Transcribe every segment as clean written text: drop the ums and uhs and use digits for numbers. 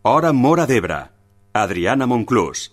Hora Móra d'Ebre. Adriana Monclús.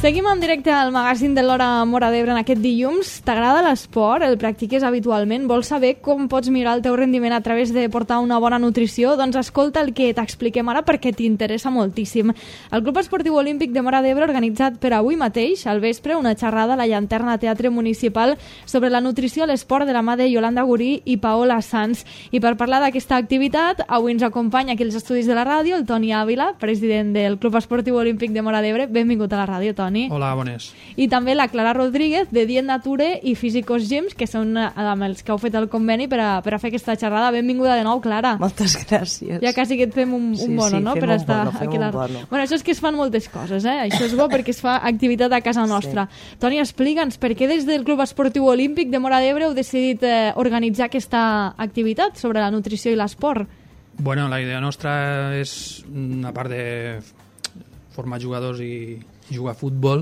Seguim en directe al magazín de l'Hora Móra d'Ebre en aquest dilluns. T'agrada l'esport? El practiques habitualment? Vols saber com pots millorar el teu rendiment a través de portar una bona nutrició? Doncs escolta el que t'expliquem ara perquè t'interessa moltíssim. El Club Esportiu Olímpic de Móra d'Ebre ha organitzat per avui mateix, al vespre, una xerrada a la Llanterna Teatre Municipal sobre la nutrició a l'esport de la mà de Yolanda Gurí i Paola Sanz. I per parlar d'aquesta activitat, avui ens acompanya aquí als estudis de la ràdio el Toni Ávila, president del Club Esportiu Olímpic de Móra d'Ebre. Benvingut a la ràdio, Toni. Hola, bones. I també la Clara Rodríguez, de Dient Nature i Físicos Gyms, que són amb els que heu fet el conveni per a fer aquesta xerrada. Benvinguda de nou, Clara. Moltes gràcies. Ja quasi que et fem un bono, no? Per estar aquí a la... Bono. Bueno, això és que es fan moltes coses, eh? Això és bo perquè es fa activitat a casa nostra. Sí. Toni, explica'ns, per què des del Club Esportiu Olímpic de Móra d'Ebre heu decidit organitzar aquesta activitat sobre la nutrició i l'esport? Bueno, la idea nostra és, a part de formar jugadors i jugar a futbol,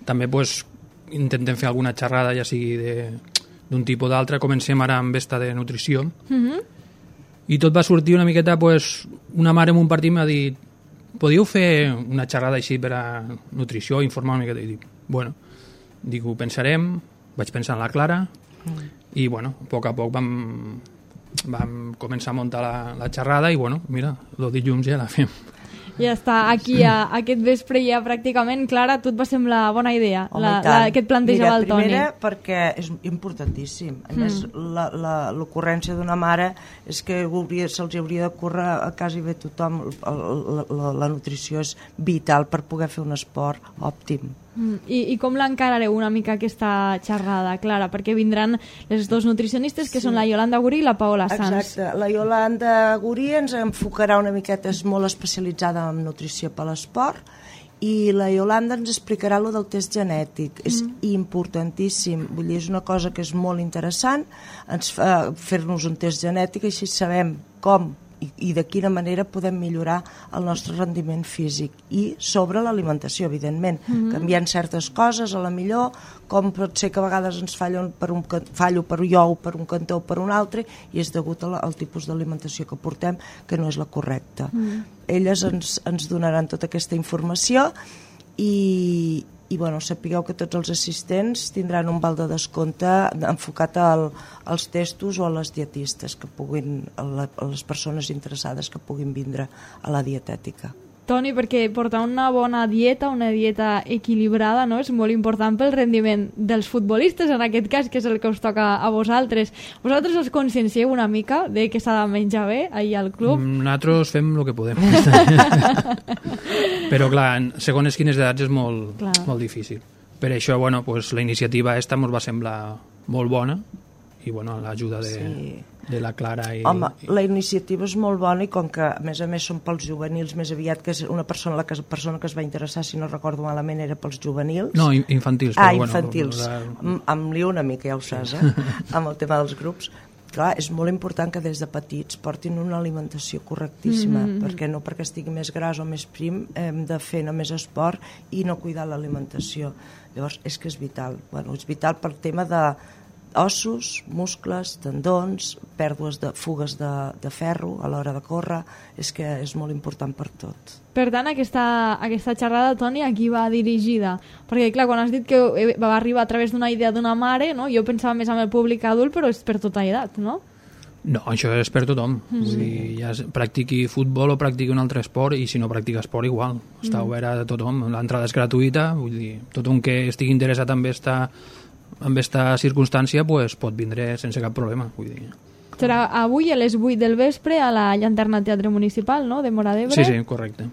també pues, intentem fer alguna xerrada, ja sigui d'un tipus d'altre. Comencem ara amb esta de nutrició. I tot va sortir una miqueta, pues, una mare en un partit m'ha dit, podíeu fer una xerrada així per a nutrició, informar una miqueta? I dic, bueno, ho pensarem, vaig pensar en la Clara, i bueno, a poc vam començar a muntar la xerrada i bueno, mira, el dilluns ja la fem. Ja està, aquí aquest vespre ja pràcticament. Clara, a tu et va semblar bona idea que et plantejava el Toni? Mira, primera perquè és importantíssim. A més, l'ocurrència d'una mare és que se'ls hauria de córrer a quasi bé tothom. La nutrició és vital per poder fer un esport òptim. I com l'encarareu una mica aquesta xerrada, Clara? Perquè vindran les dos nutricionistes, que són la Yolanda Gurí i la Paola Sanz. Exacte. La Yolanda Gurí ens enfocarà una miqueta, és molt especialitzada en nutrició per l'esport, i la Yolanda ens explicarà lo del test genètic. És importantíssim, vull dir, és una cosa que és molt interessant, fer-nos un test genètic, així sabem com i de quina manera podem millorar el nostre rendiment físic, i sobre l'alimentació, evidentment, canviant certes coses, a la millor, com pot ser que a vegades ens fallo per jo o per un cantó o per un altre, i és degut al tipus d'alimentació que portem, que no és la correcta. Elles ens donaran tota aquesta informació i bueno, sapigueu que tots els assistents tindran un val de descompte enfocat als testos o a les dietistes que puguin, a les persones interessades que puguin vindre a la dietètica. Toni, perquè portar una bona dieta, una dieta equilibrada, no? És molt important pel rendiment dels futbolistes, en aquest cas, que és el que us toca a vosaltres. Vosaltres us consciencieu una mica de que s'ha de menjar bé allà al club? Nosaltres fem el que podem. Però, clar, segons quines edats és molt difícil. Per això, bueno, pues, la iniciativa esta ens va semblar molt bona, i bueno, l'ajuda de la Clara Home, la iniciativa és molt bona, i com que a més són pels juvenils més aviat, que és una persona, la persona que es va interessar, si no recordo malament, era pels juvenils. No, infantils. Infantils. Em lio una mica, ja ho saps, amb el tema dels grups. Clar, és molt important que des de petits portin una alimentació correctíssima, perquè estigui més gras o més prim hem de fer només esport i no cuidar l'alimentació. Llavors, és que és vital. Bueno, és vital pel tema de ossos, muscles, tendons, pèrdues de fugues de ferro a l'hora de córrer, és que és molt important per tot. Per tant, aquesta xerrada, Toni, a qui va dirigida? Perquè, clar, quan has dit que va arribar a través d'una idea d'una mare, no? Jo pensava més en el públic adult, però és per tota edat, no? No, això és per tothom. Vull dir, ja practiqui futbol o practiqui un altre esport, i si no practica esport, igual. Està obert a tothom. L'entrada és gratuïta, vull dir, tothom que estigui interessat en aquesta circumstància pues, pot vindre sense cap problema. Vull dir. Serà avui a les 8 del vespre a la Llanterna Teatre Municipal, no?, de Móra d'Ebre. Sí, correcte.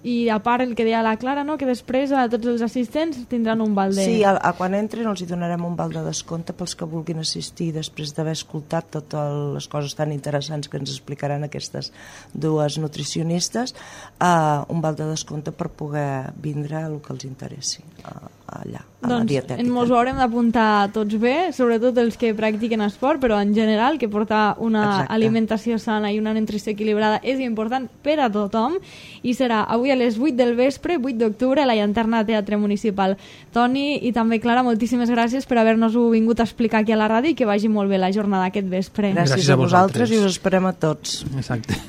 i a part el que deia la Clara, no? Que després tots els assistents tindran un val de... Sí, quan entrin els hi donarem un val de descompte pels que vulguin assistir després d'haver escoltat totes les coses tan interessants que ens explicaran aquestes dues nutricionistes, un val de descompte per poder vindre el que els interessi allà, a la dietètica. Ens haurem d'apuntar tots bé, sobretot els que practiquen esport, però en general que portar una alimentació sana i una nutrició equilibrada és important per a tothom, i serà avui a les 8 del vespre, 8 d'octubre, a la Llanterna Teatre Municipal. Toni i també Clara, moltíssimes gràcies per haver-nos-ho vingut a explicar aquí a la ràdio i que vagi molt bé la jornada aquest vespre. Gràcies a vosaltres i us esperem a tots. Exacte.